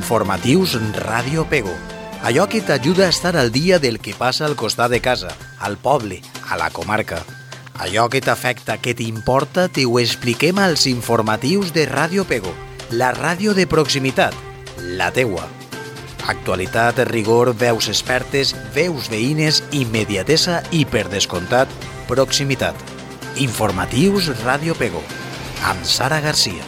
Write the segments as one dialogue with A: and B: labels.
A: Informatius Ràdio Pego. Allò que t'ajuda a estar al dia del que passa al costat de casa, al poble, a la comarca. Allò que t'afecta, que t'importa, t'ho expliquem als informatius de Ràdio Pego, la ràdio de proximitat, la teua. Actualitat, rigor, veus expertes, veus veïnes, immediatesa i, per descomptat, proximitat. Informatius Ràdio Pego, amb Sara Garcia.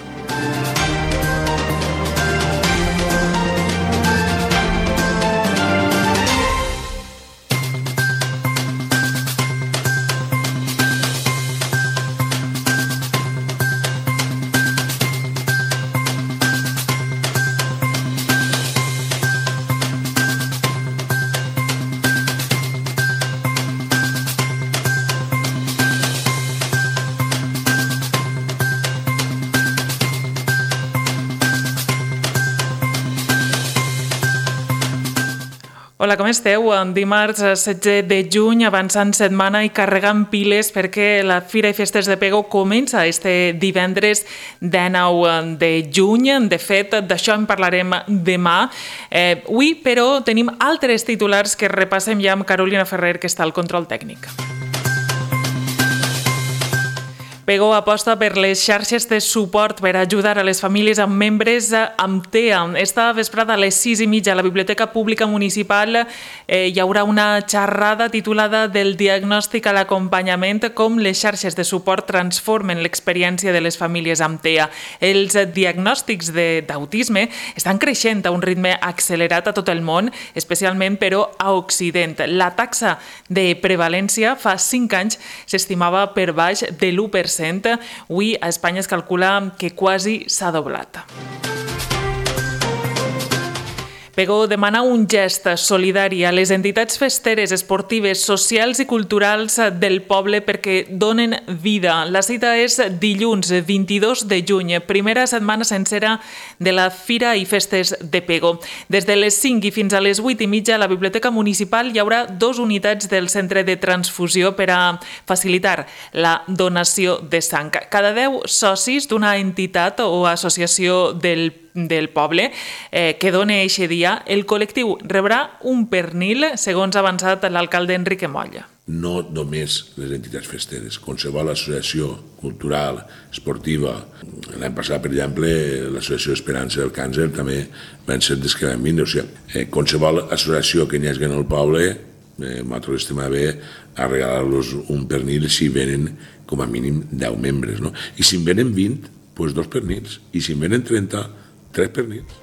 B: Hola, com esteu? Dimarts 16 de juny, avançant setmana i carregant piles perquè la Fira i Festes de Pego comença este divendres 19 de juny. De fet, d'això en parlarem demà. Avui, però, tenim altres titulars que repassem ja amb Carolina Ferrer, que està al control tècnic. Pego aposta per les xarxes de suport per ajudar a les famílies amb membres amb TEA. Esta vesprada a les 6:30 a la Biblioteca Pública Municipal hi haurà una xerrada titulada Del diagnòstic a l'acompanyament, com les xarxes de suport transformen l'experiència de les famílies amb TEA. Els diagnòstics d'autisme estan creixent a un ritme accelerat a tot el món, especialment però a Occident. La taxa de prevalència fa 5 anys s'estimava per baix de l'1%. Avui a Espanya es calcula que quasi s'ha doblat. Pego demana un gest solidari a les entitats festeres, esportives, socials i culturals del poble perquè donen vida. La cita és dilluns 22 de juny, primera setmana sencera de la Fira i Festes de Pego. Des de les 5 i fins a les 8:30 a la Biblioteca Municipal hi haurà 2 unitats del centre de transfusió per a facilitar la donació de sang. Cada 10 socis d'una entitat o associació del poble que dona eixe dia, el col·lectiu rebrà un pernil, segons ha avançat l'alcalde Enrique Molla.
C: No només les entitats festeres, qualsevol associació cultural, esportiva. L'any passat, per exemple, l'associació Esperança del Càncer també van ser des que van vindre. O sigui, qualsevol associació que n'hi hagi en el poble, nosaltres estem a bé a regalar-los un pernil si venen com a mínim 10 membres. No? I si en venen 20, doncs 2 pernils. I si en venen 30, 3 pernils.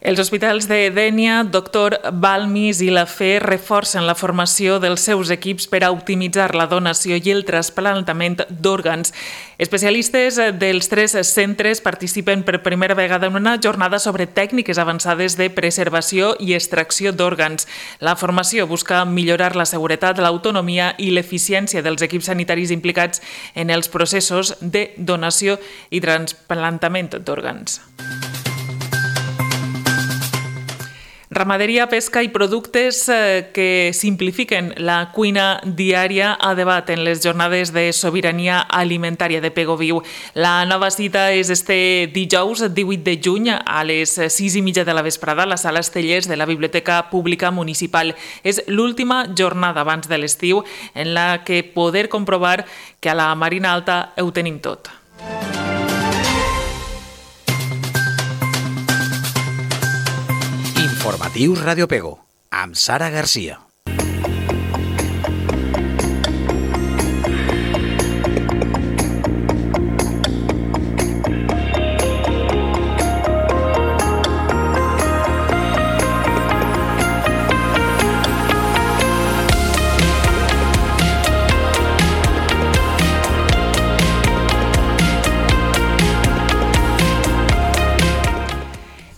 B: Els hospitals de Dénia, Doctor Balmis i la Fe reforcen la formació dels seus equips per a optimitzar la donació i el trasplantament d'òrgans. Especialistes dels 3 centres participen per primera vegada en una jornada sobre tècniques avançades de preservació i extracció d'òrgans. La formació busca millorar la seguretat, l'autonomia i l'eficiència dels equips sanitaris implicats en els processos de donació i trasplantament d'òrgans. Ramaderia, pesca i productes que simplifiquen la cuina diària a debat en les jornades de sobirania alimentària de Pego Viu. La nova cita és este dijous 18 de juny a les 6:30 de la vesprada a la sala Estellers de la Biblioteca Pública Municipal. És l'última jornada abans de l'estiu en la que poder comprovar que a la Marina Alta ho tenim tot.
A: Informatius Ràdio Pego, amb Sara Garcia.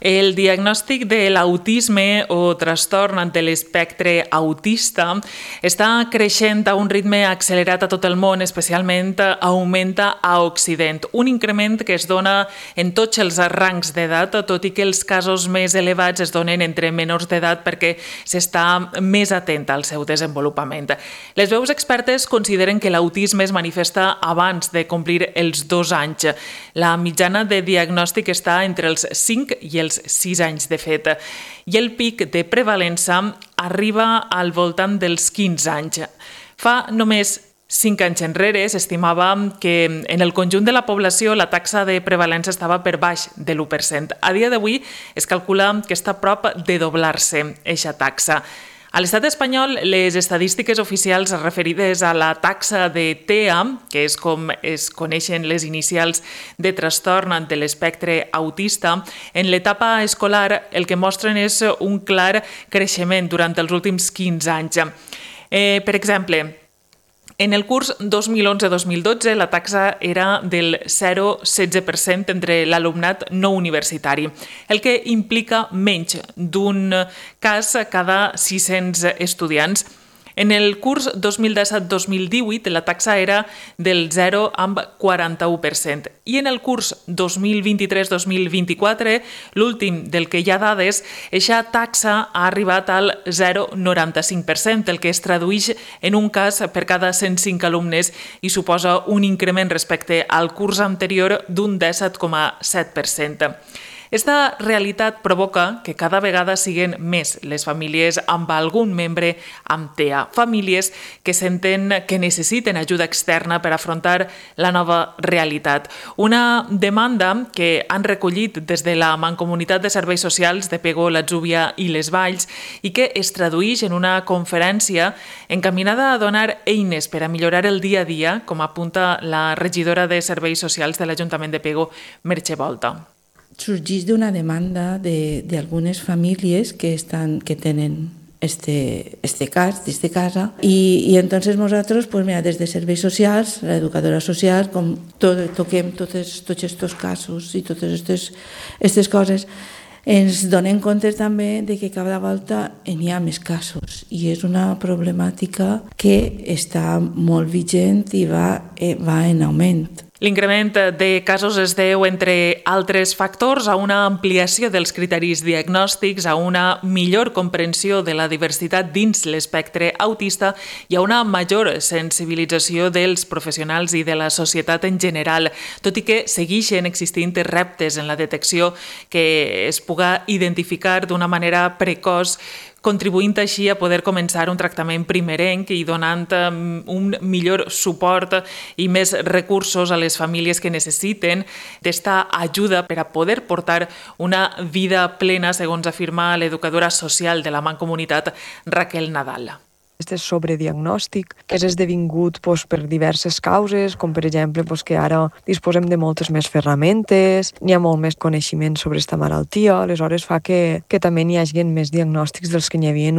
B: El diagnòstic de l'autisme o trastorn de l'espectre autista està creixent a un ritme accelerat a tot el món, especialment augmenta a Occident. Un increment que es dona en tots els rangs d'edat, tot i que els casos més elevats es donen entre menors d'edat perquè s'està més atent al seu desenvolupament. Les veus expertes consideren que l'autisme es manifesta abans de complir els 2 anys. La mitjana de diagnòstic està entre els 5 i els 6 anys de fet, i el pic de prevalença arriba al voltant dels 15 anys. Fa només 5 anys enrere s'estimava que en el conjunt de la població la taxa de prevalença estava per baix de l'1%. A dia d'avui es calcula que està a prop de doblar-se aquesta taxa. A l'estat espanyol, les estadístiques oficials referides a la taxa de TEA, que és com es coneixen les inicials de trastorn de l'espectre autista, en l'etapa escolar el que mostren és un clar creixement durant els últims 15 anys. Per exemple, en el curs 2011-2012 la taxa era del 0,16% entre l'alumnat no universitari, el que implica menys d'un cas cada 600 estudiants. En el curs 2017-2018 la taxa era del 0,41% i en el curs 2023-2024, l'últim del que hi ha dades, aquesta taxa ha arribat al 0,95%, el que es tradueix en un cas per cada 105 alumnes i suposa un increment respecte al curs anterior d'un 17,7%. Esta realitat provoca que cada vegada siguin més les famílies amb algun membre amb TEA, famílies que senten que necessiten ajuda externa per afrontar la nova realitat. Una demanda que han recollit des de la Mancomunitat de Serveis Socials de Pego, l'Atzúbia i les Valls i que es tradueix en una conferència encaminada a donar eines per a millorar el dia a dia, com apunta la regidora de Serveis Socials de l'Ajuntament de Pego, Merche Volta.
D: Surgís d'una demanda d'algunes famílies que tenen este casa y entonces nosotros pues mira, desde Serveis Socials, la educadora social, com toquem tots aquests casos i totes aquestes coses, ens donem compte també de que cada volta n'hi ha més casos i és una problemàtica que està molt vigent i va en augment.
B: L'increment de casos es deu, entre altres factors, a una ampliació dels criteris diagnòstics, a una millor comprensió de la diversitat dins l'espectre autista i a una major sensibilització dels professionals i de la societat en general, tot i que segueixen existint reptes en la detecció que es puga identificar d'una manera precoç, contribuint així a poder començar un tractament primerenc i donant un millor suport i més recursos a les famílies que necessiten d'esta ajuda per a poder portar una vida plena, segons afirma l'educadora social de la Mancomunitat, Raquel Nadal.
E: Este sobrediagnòstic que és esdevingut per diverses causes, com per exemple que ara disposem de moltes més ferramentes, n'hi ha molt més coneixement sobre aquesta malaltia, aleshores fa que també n'hi hagi més diagnòstics dels que n'hi havia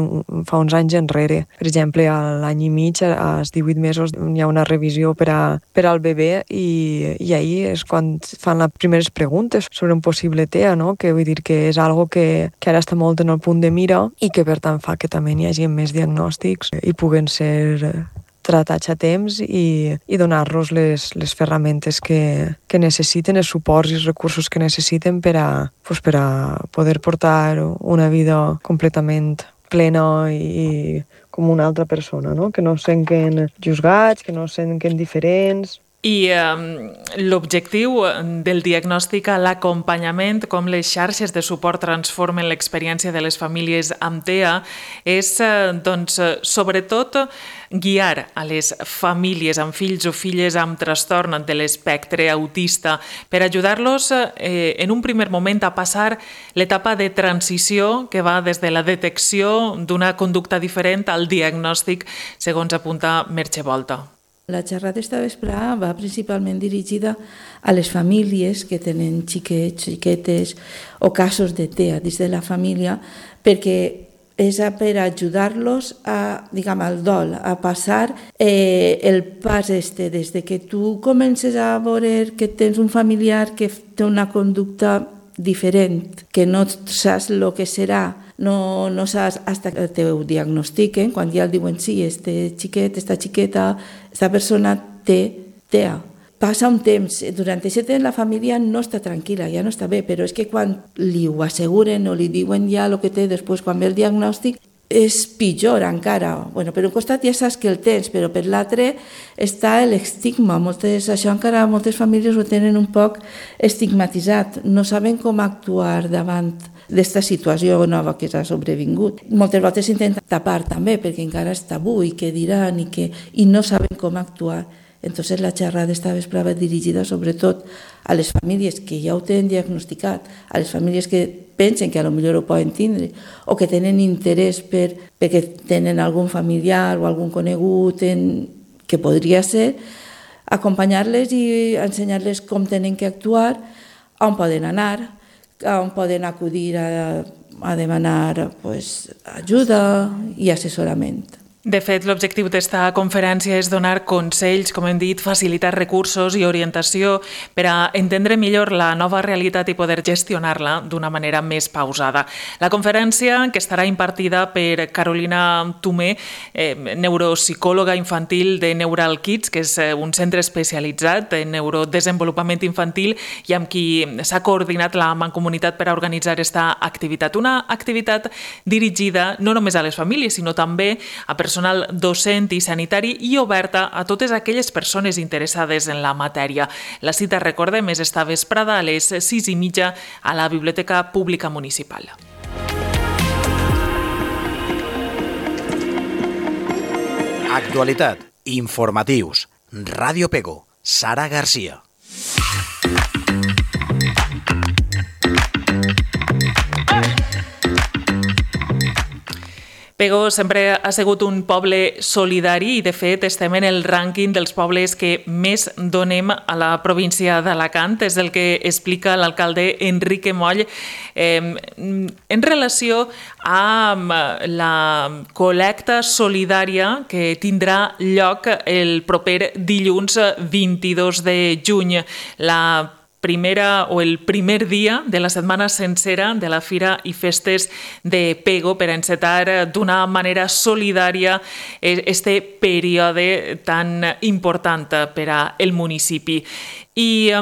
E: fa uns anys enrere. Per exemple, a l'any i mig, als 18 mesos, n'hi ha una revisió per al bebè i ahir és quan fan les primeres preguntes sobre un possible TEA, no? Que vull dir que és algo que ara està molt en el punt de mira i que per tant fa que també n'hi hagi més diagnòstics i puguen ser tratats a temps i donar-los les ferramentes que necessiten, els suports i els recursos que necessiten per a poder portar una vida completament plena i com una altra persona, no? Que no es senten juzgats, que no es senten diferents.
B: I l'objectiu del diagnòstic a l'acompanyament, com les xarxes de suport transformen l'experiència de les famílies amb TEA, és, sobretot, guiar a les famílies amb fills o filles amb trastorn de l'espectre autista per ajudar-los en un primer moment a passar l'etapa de transició que va des de la detecció d'una conducta diferent al diagnòstic, segons apunta Merche Volta.
D: La xerrada esta vesprada va principalment dirigida a les famílies que tenen xiquets, xiquetes o casos de TEA dins de la família, perquè és per ajudar-los al dol, a passar el pas des de que tu comences a veure que tens un familiar que té una conducta diferent, que no saps el que serà, no saps fins que te ho diagnostiquen, quan ja el diuen sí, este xiquet, esta xiqueta, esta persona té TEA. Passa un temps, durant aquest temps la família no està tranquil·la, ja no està bé, però és que quan li ho asseguren o li diuen ja el que té després, quan ve el diagnòstic, és pitjor encara. Bueno, per un costat ja saps que el tens, però per l'altre està l'estigma. Això encara moltes famílies ho tenen un poc estigmatitzat. No saben com actuar davant d'esta situació nova que s'ha sobrevingut. Moltes vegades s'intenta tapar també, perquè encara és tabú i què diran i no saben com actuar. Entonces la xerrada esta vesprada dirigida sobretot a les famílies que ja ho tenen diagnosticat, a les famílies que pensen que potser ho poden tindre o que tenen interès perquè tenen algun familiar o algun conegut que podria ser, acompanyar-les i ensenyar-les com tenen que actuar, on poden anar, on poden acudir a demanar ajuda i assessorament.
B: De fet, l'objectiu d'esta conferència és donar consells, com hem dit, facilitar recursos i orientació per a entendre millor la nova realitat i poder gestionar-la d'una manera més pausada. La conferència, que estarà impartida per Carolina Tomé, neuropsicòloga infantil de Neural Kids, que és un centre especialitzat en neurodesenvolupament infantil i amb qui s'ha coordinat la Mancomunitat per a organitzar aquesta activitat. Una activitat dirigida no només a les famílies, sinó també a personal docent i sanitari i oberta a totes aquelles persones interessades en la matèria. La cita, recordem, és esta vesprada a les 6:30 a la Biblioteca Pública Municipal.
A: Actualitat, informatius, Ràdio Pego, Sara Garcia.
B: Pego sempre ha sigut un poble solidari i, de fet, estem en el rànquing dels pobles que més donem a la província d'Alacant. És el que explica l'alcalde Enrique Moll en relació amb la col·lecta solidària que tindrà lloc el proper dilluns 22 de juny. La primera o el primer dia de la setmana sencera de la Fira i Festes de Pego per encetar d'una manera solidària este període tan important per al municipi. I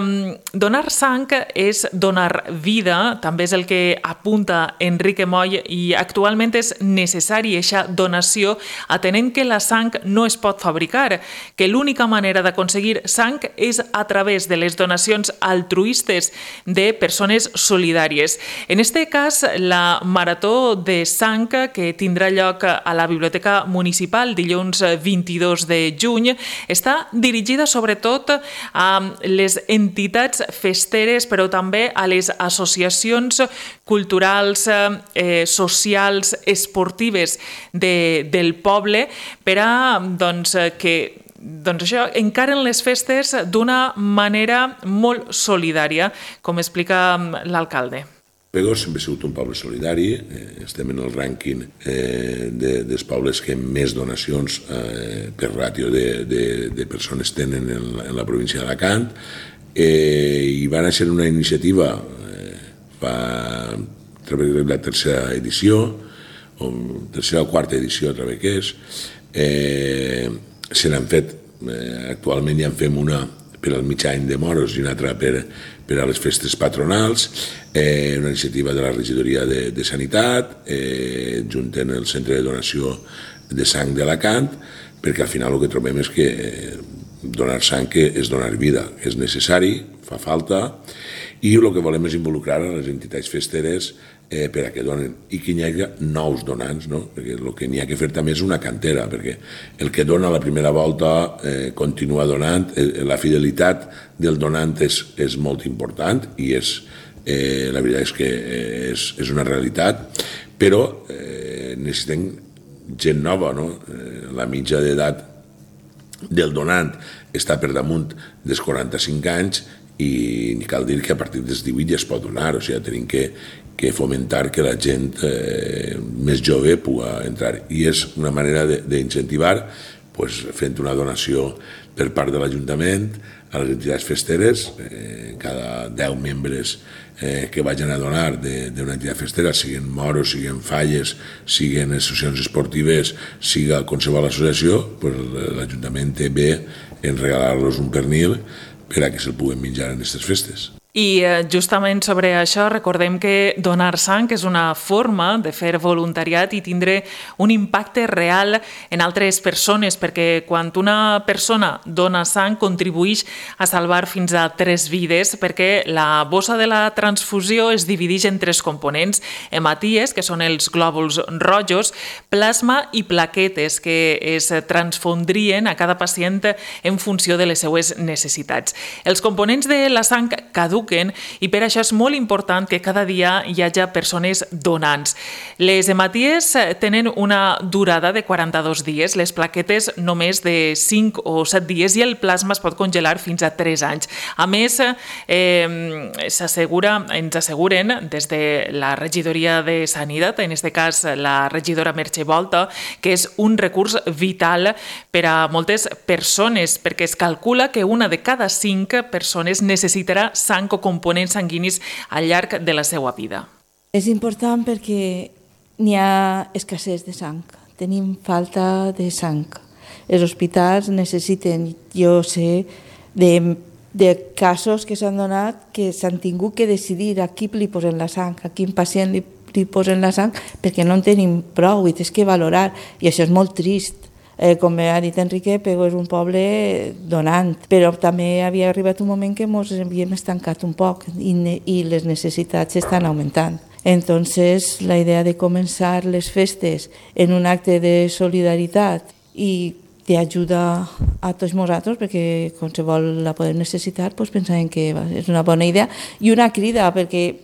B: donar sang és donar vida, també és el que apunta Enrique Moll, i actualment és necessari aquesta donació, atenent que la sang no es pot fabricar, que l'única manera d'aconseguir sang és a través de les donacions altruistes de persones solidàries. En aquest cas, la Marató de Sang, que tindrà lloc a la Biblioteca Municipal dilluns 22 de juny, està dirigida sobretot a les entitats festeres, però també a les associacions culturals, socials, esportives del poble per a que això encaren les festes d'una manera molt solidària, com explica l'alcalde.
C: Pego sempre ha sigut un poble solidari, estem en el rànquing dels pobles que més donacions per ràtio de persones tenen en la província d'Alacant, i va néixer una iniciativa a través de la tercera edició, o tercera o quarta edició a través que és. Se n'han fet, actualment ja en fem una per al mig any de Moros i una altra per a les festes patronals, una iniciativa de la regidoria de Sanitat, junten el centre de donació de sang d'Alacant, perquè al final el que trobem és que donar sang és donar vida, és necessari, fa falta, i el que volem és involucrar a les entitats festeres per a que donen, i que hi hagi nous donants, no? Perquè el que n'hi ha que fer també és una cantera, perquè el que dona la primera volta continua donant, la fidelitat del donant és molt important i la veritat és que és una realitat, però necessitem gent nova, no? La mitja d'edat del donant està per damunt dels 45 anys i cal dir que a partir dels 18 ja es pot donar, o sigui, tenim que fomentar que la gent més jove pugui entrar. I és una manera d'incentivar fent una donació per part de l'Ajuntament a les entitats festeres, cada 10 membres que vagin a donar d'una entitat festera, siguin moros, siguin falles, siguin associacions esportives, siga qualsevol associació, l'Ajuntament té bé en regalar-los un pernil per a que se'l puguen menjar en aquestes festes.
B: I justament sobre això recordem que donar sang és una forma de fer voluntariat i tindre un impacte real en altres persones, perquè quan una persona dona sang contribueix a salvar fins a 3 vides, perquè la bossa de la transfusió es divideix en 3 components: hematies, que són els glòbuls rojos, plasma i plaquetes, que es transfondrien a cada pacient en funció de les seues necessitats. Els components de la sang caduquen i per això és molt important que cada dia hi hagi persones donants. Les hematies tenen una durada de 42 dies, les plaquetes només de 5 o 7 dies i el plasma es pot congelar fins a 3 anys. A més, ens asseguren des de la regidoria de Sanitat, en aquest cas la regidora Merche Volta, que és un recurs vital per a moltes persones, perquè es calcula que una de cada 5 persones necessitarà sang o components sanguinis al llarg de la seva vida.
D: És important perquè n'hi ha escassez de sang, tenim falta de sang. Els hospitals necessiten, jo sé, de casos que s'han donat que s'han tingut que decidir a qui li posen la sang, a quin pacient li posen la sang, perquè no en tenim prou i tens que valorar, i això és molt trist. Com ha dit Enrique, Pego és un poble donant, però també havia arribat un moment que ens havíem estancat un poc i les necessitats estan augmentant. Entonces, la idea de començar les festes en un acte de solidaritat i d'ajuda a tots nosaltres, perquè qualsevol la podem necessitar, doncs pensàvem que és una bona idea i una crida, perquè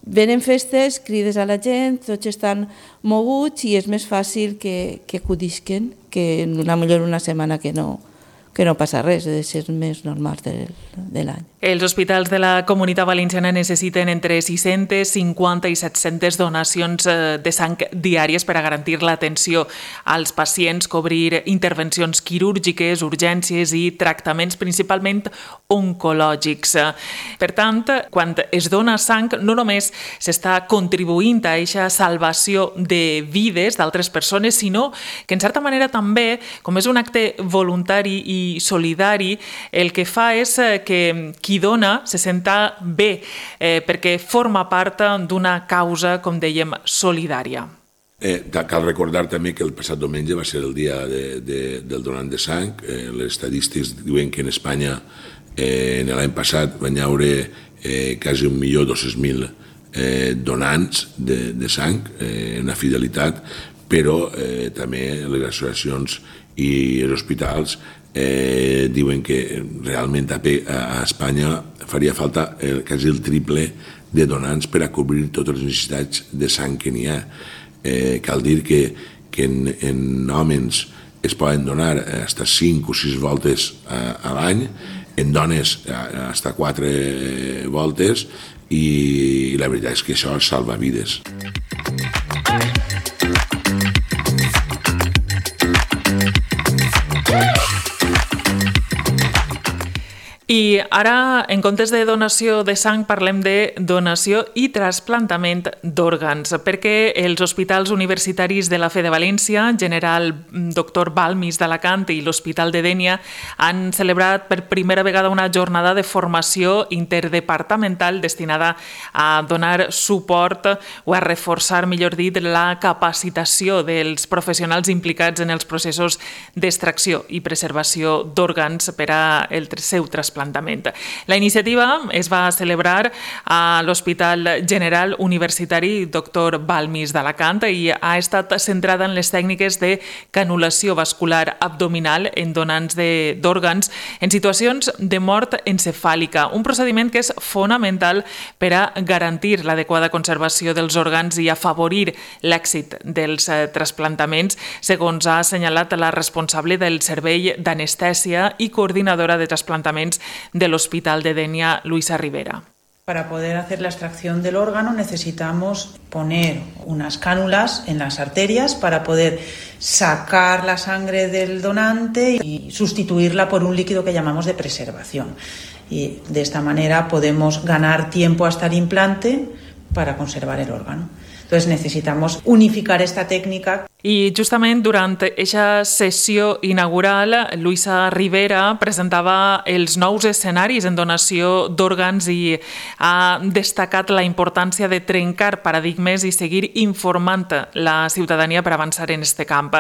D: venen festes, crides a la gent, tots estan moguts i és més fàcil que acudisquen que millor una setmana que no passa res, és ser més normal de l'any.
B: Els hospitals de la Comunitat Valenciana necessiten entre 650 i 700 donacions de sang diàries per a garantir l'atenció als pacients, cobrir intervencions quirúrgiques, urgències i tractaments principalment oncològics. Per tant, quan es dona sang, no només s'està contribuint a aquesta salvació de vides d'altres persones, sinó que en certa manera també, com és un acte voluntari i solidari, el que fa és que qui dona se senta bé, perquè forma part d'una causa, com dèiem, solidària.
C: Cal recordar també que el passat diumenge va ser el dia del donant de sang. Les estadístiques diuen que en Espanya l'any passat van haure quasi 1.200.000 donants de sang, una fidelitat, però també les associacions i els hospitals diuen que realment a Espanya faria falta quasi el triple de donants per a cobrir totes les necessitats de sang que n'hi ha. Cal dir que en homes es poden donar fins a 5 o 6 voltes a l'any, en dones fins a 4 voltes, i la veritat és que això salva vides.
B: I ara, en comptes de donació de sang, parlem de donació i trasplantament d'òrgans, perquè els hospitals universitaris de la Fe de València, General Dr. Balmis d'Alacant i l'Hospital de Dénia han celebrat per primera vegada una jornada de formació interdepartamental destinada a donar suport o a reforçar, millor dit, la capacitació dels professionals implicats en els processos d'extracció i preservació d'òrgans per al seu trasplantament. La iniciativa es va celebrar a l'Hospital General Universitari Dr. Balmis d'Alacant i ha estat centrada en les tècniques de canulació vascular abdominal en donants d'òrgans en situacions de mort encefàlica, un procediment que és fonamental per a garantir l'adequada conservació dels òrgans i afavorir l'èxit dels trasplantaments, segons ha assenyalat la responsable del Servei d'Anestèsia i coordinadora de trasplantaments de l'Hospital de Dénia, Luisa Rivera.
F: Para poder hacer la extracción del órgano necesitamos poner unas cánulas en las arterias para poder sacar la sangre del donante y sustituirla por un líquido que llamamos de preservación. Y de esta manera podemos ganar tiempo hasta el implante para conservar el órgano. Entonces necesitamos unificar esta técnica.
B: I justament durant aquesta sessió inaugural, Luisa Rivera presentava els nous escenaris en donació d'òrgans i ha destacat la importància de trencar paradigmes i seguir informant la ciutadania per avançar en aquest camp.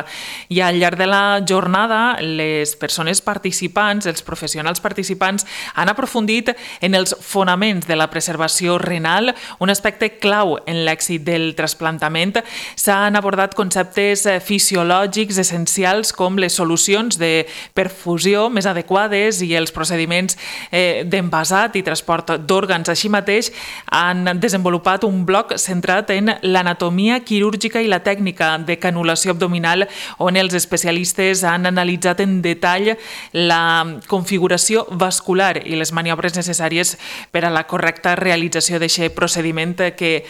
B: I al llarg de la jornada, les persones participants, els professionals participants, han aprofundit en els fonaments de la preservació renal, un aspecte clau en l'èxit del trasplantament. S'han abordat conceptes fisiològics essencials com les solucions de perfusió més adequades i els procediments d'envasat i transport d'òrgans. Així mateix, han desenvolupat un bloc centrat en l'anatomia quirúrgica i la tècnica de canulació abdominal, on els especialistes han analitzat en detall la configuració vascular i les maniobres necessàries per a la correcta realització d'aquest procediment que,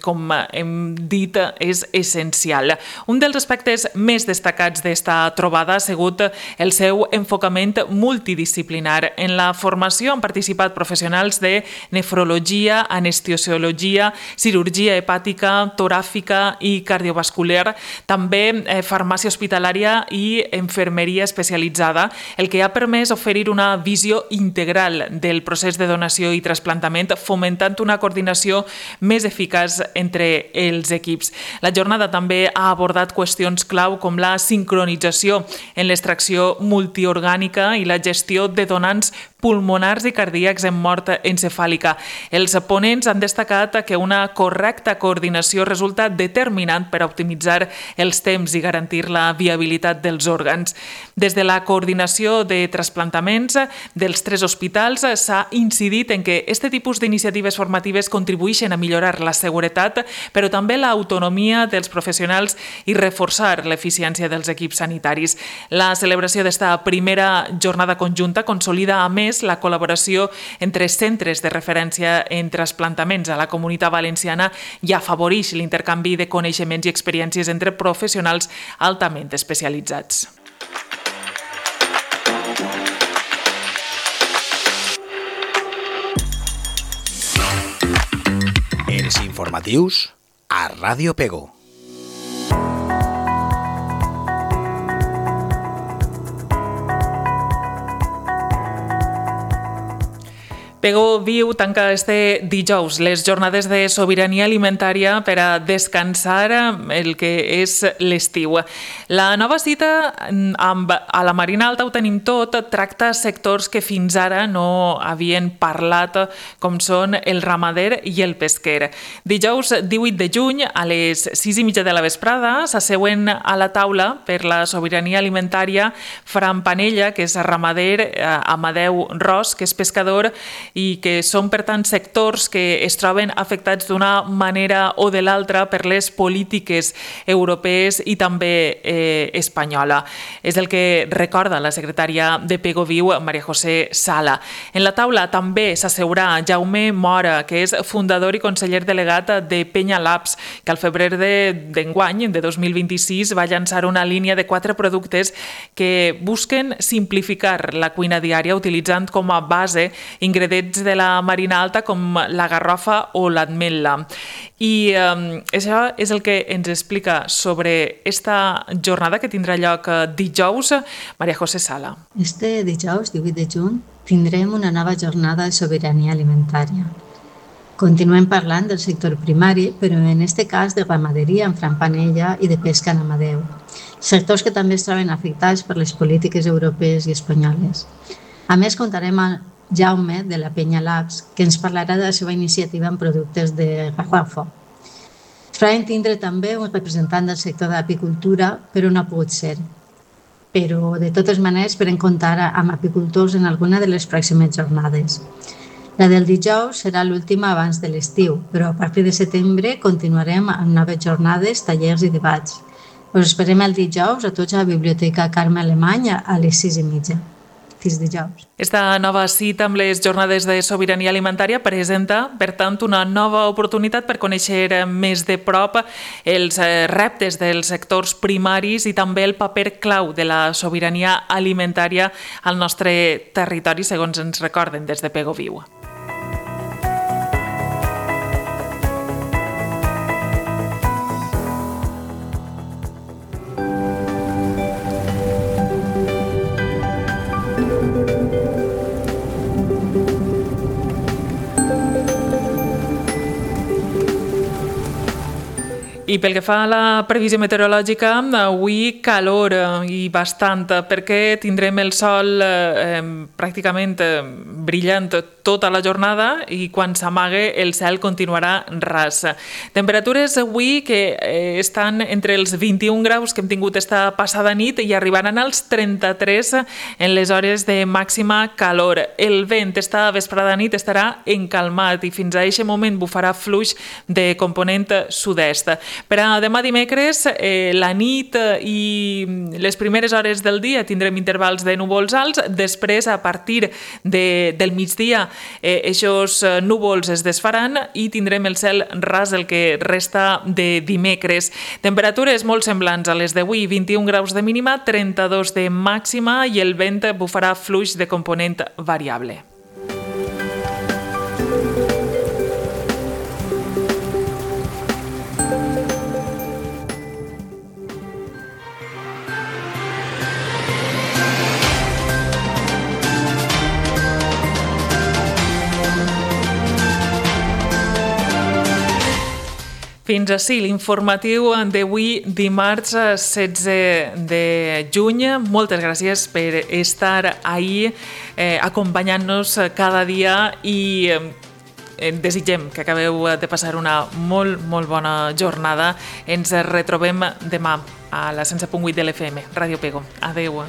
B: com hem dit, és essencial. Un dels aspectes més destacats d'esta trobada ha sigut el seu enfocament multidisciplinar. En la formació han participat professionals de nefrologia, anestesiologia, cirurgia hepàtica, toràfica i cardiovascular, també farmàcia hospitalària i infermeria especialitzada, el que ha permès oferir una visió integral del procés de donació i trasplantament, fomentant una coordinació més eficaç entre els equips. La jornada també ha abordat qüestions clau com la sincronització en l'extracció multiorgànica i la gestió de donants pulmonars i cardíacs en mort encefàlica. Els ponents han destacat que una correcta coordinació resulta determinant per optimitzar els temps i garantir la viabilitat dels òrgans. Des de la coordinació de trasplantaments dels 3 hospitals s'ha incidit en que aquest tipus d'iniciatives formatives contribueixen a millorar la seguretat, però també l'autonomia dels professionals i reforçar l'eficiència dels equips sanitaris. La celebració d'esta primera jornada conjunta consolida a més la col·laboració entre centres de referència en trasplantaments a la Comunitat Valenciana i afavoreix l'intercanvi de coneixements i experiències entre professionals altament especialitzats.
A: Els informatius a Ràdio Pego.
B: Pego Viu tanca este dijous les jornades de sobirania alimentària per a descansar el que és l'estiu. La nova cita a la Marina Alta ho tenim tot, tracta sectors que fins ara no havien parlat, com són el ramader i el pesquer. Dijous 18 de juny a les 6:30 de la vesprada s'asseuen a la taula per la sobirania alimentària Fran Panella, que és ramader, Amadeu Ros, que és pescador, i que són, per tant, sectors que es troben afectats d'una manera o de l'altra per les polítiques europees i també espanyola. És el que recorda la secretària de Pego Viu, Maria José Sala. En la taula també s'asseurà Jaume Mora, que és fundador i conseller delegat de Penya Labs, que al febrer d'enguany, de 2026, va llançar una línia de 4 productes que busquen simplificar la cuina diària utilitzant com a base ingredients de la Marina Alta com la garrofa o l'ametla. I això és el que ens explica sobre esta jornada que tindrà lloc dijous, Maria José Sala.
G: Este dijous, 18 de juny, tindrem una nova jornada de sobirania alimentària. Continuem parlant del sector primari, però en aquest cas de ramaderia en Fran Panella i de pesca en Amadeu. Sectors que també es troben afectats per les polítiques europees i espanyoles. A més, contarem amb Jaume, de la Penya Labs, que ens parlarà de la seva iniciativa en productes de garrofa. Farem tindre també un representant del sector de l'apicultura, però no ha pogut ser. Però, de totes maneres, esperem comptar amb apicultors en alguna de les pròximes jornades. La del dijous serà l'última abans de l'estiu, però a partir de setembre continuarem amb noves jornades, tallers i debats. Us esperem el dijous a tots a la Biblioteca Carme Alemany a les 6:30. fins dijous.
B: Esta nova cita amb les jornades de sobirania alimentària presenta, per tant, una nova oportunitat per conèixer més de prop els reptes dels sectors primaris i també el paper clau de la sobirania alimentària al nostre territori, segons ens recorden des de Pego Viu. I pel que fa a la previsió meteorològica, avui calor i bastant, perquè tindrem el sol pràcticament brillant tota la jornada i quan s'amague el cel continuarà ras. Temperatures avui que estan entre els 21 graus que hem tingut esta passada nit i arribaran als 33 en les hores de màxima calor. El vent esta vesprada nit estarà encalmat i fins a aquest moment bufarà fluix de component sud-est. Per a demà dimecres, la nit i les primeres hores del dia tindrem intervals de núvols alts, després a partir del migdia aquests núvols es desfaran i tindrem el cel ras el que resta de dimecres. Temperatures molt semblants a les d'avui, 21 graus de mínima, 32 de màxima i el vent bufarà fluix de component variable. Fins així l'informatiu d'avui, dimarts 16 de juny. Moltes gràcies per estar ahí acompanyant-nos cada dia i desitgem que acabeu de passar una molt, molt bona jornada. Ens retrobem demà a la 107.8 de l'FM, Ràdio Pego. Adéu.